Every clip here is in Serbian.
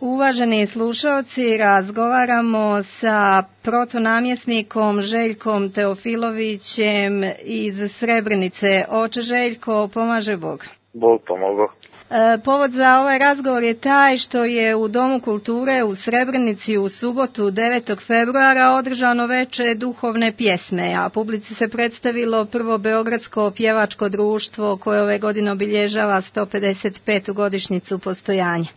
Uvaženi slušalci, razgovaramo sa protonamjesnikom Željkom Teofilovićem iz Srebrenice. Oče Željko, pomaže Bog. Bog pomogao. Povod za ovaj razgovor je taj što je u Domu kulture u Srebrenici u subotu 9. februara održano veče duhovne pjesme, a publici se predstavilo prvo Beogradsko pjevačko društvo koje ove godine obilježava 155. godišnjicu postojanja.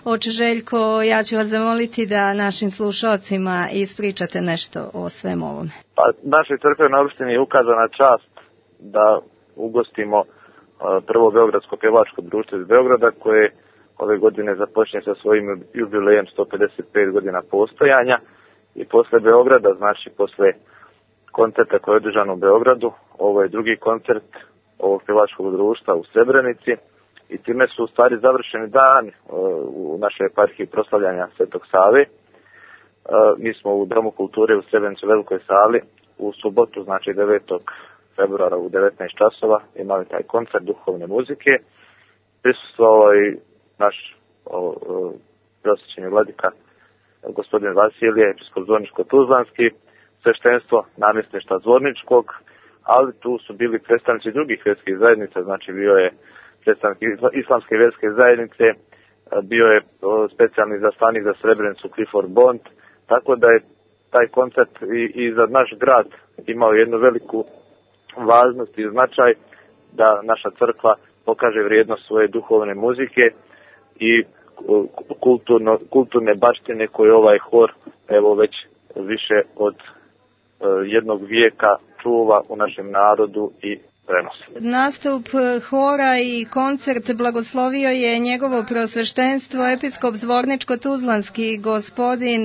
Oče Željko, ja ću vas zamoliti da našim slušalcima ispričate nešto o svemu ovome. Pa, našoj crkvenoj opštini je ukazana čast da ugostimo prvo Beogradsko pjevačko društvo iz Beograda koje ove godine započne sa svojim jubilejem 155 godina postojanja i posle Beograda, znači posle koncerta koji je održan u Beogradu, ovo je drugi koncert ovog pjevačkog društva u Srebrenici i time su u stvari završeni dan u našoj eparhiji proslavljanja Svetog Save. Mi smo u Domu kulture u Srebrenici u Velikoj sali u subotu, znači 9. februara u 19 časova imali taj koncert duhovne muzike. Prisustvovao i naš prosvećeni vladika gospodin Vasilije, episkop Zvorničko-Tuzlanski, sveštenstvo namjesništva Zvorničkog, ali tu su bili predstavnici drugih vjerskih zajednica, znači bio je predstavnik islamske vjerske zajednice, bio je specijalni zaslanik za Srebrenicu Clifford Bond, tako da je taj koncert i za naš grad imao jednu veliku važnost i značaj da naša crkva pokaže vrijednost svoje duhovne muzike i kulturne baštine koje ovaj hor evo već više od jednog vijeka čuva u našem narodu i prenosi. Nastup hora i koncert blagoslovio je njegovo preosveštenstvo episkop Zvorničko-Tuzlanski gospodin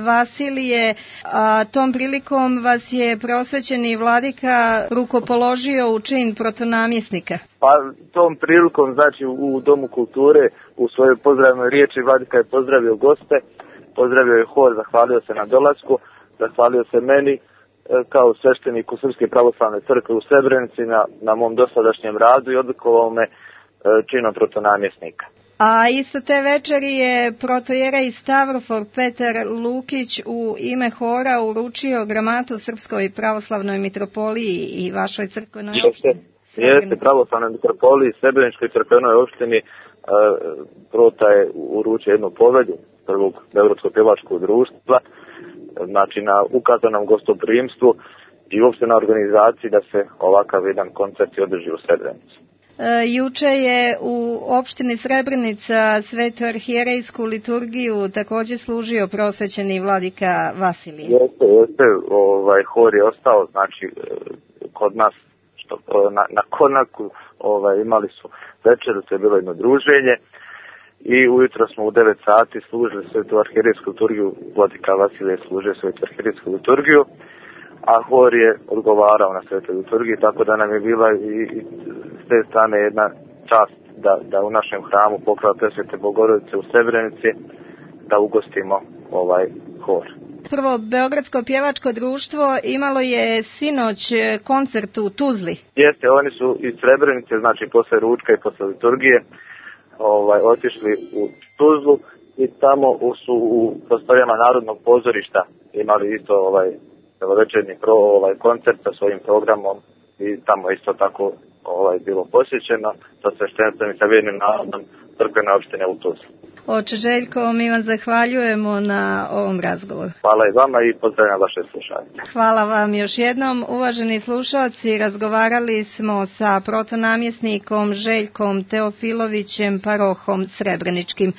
Vasilije, a tom prilikom vas je preosvećeni vladika rukopoložio u čin protonamjesnika. Pa tom prilikom, znači u Domu kulture, u svojoj pozdravnoj riječi vladika je pozdravio goste, pozdravio je hor, zahvalio se na dolasku, zahvalio se meni kao svešteniku Srpske pravoslavne crkve u Srebrenici na mom dosadašnjem radu i odlikovao me činom protonamjesnika. A isto te večeri je protojerej Stavrofor Petar Lukić u ime hora uručio gramatu Srpskoj pravoslavnoj mitropoliji i vašoj crkvenoj opštini. Jeste, pravoslavnoj mitropoliji, Srebreničkoj crkvenoj opštini prota je uručio jednu povelju prvog Beogradskog pjevačkog društva, znači na ukazanom gostoprimstvu i uopšte na organizaciji da se ovakav jedan koncert održi u Srebrenici. Juče je u opštini Srebrenica svetu arhijerejsku liturgiju također služio prosvećeni vladika Vasilije. Jeste, hor je ostao, znači kod nas na Konaku imali su večeru, to je bilo jedno druženje i ujutro smo u 9 sati služili svetu arhijerejsku liturgiju, vladika Vasilije služio svetu arhijerejsku liturgiju, a hor je odgovarao na svetoj liturgiji, tako da nam je bila i s te strane jedna čast da u našem hramu Pokrova Presvete Bogorodice u Srebrenici da ugostimo ovaj hor. Prvo Beogradsko pjevačko društvo imalo je sinoć koncert u Tuzli. Jeste, oni su iz Srebrenice, znači posle ručka i posle liturgije otišli u Tuzlu i tamo su u prostorijama Narodnog pozorišta imali isto večernji koncert sa svojim programom i tamo isto tako bilo posjećeno sa sveštenstvom i sa vjernim narodom crkvene opštine u Tuzli. Oče Željko, mi vam zahvaljujemo na ovom razgovoru. Hvala i vama i pozdravljam vaše slušanje. Hvala vam još jednom. Uvaženi slušalci, razgovarali smo sa protonamjesnikom Željkom Teofilovićem, parohom Srebreničkim.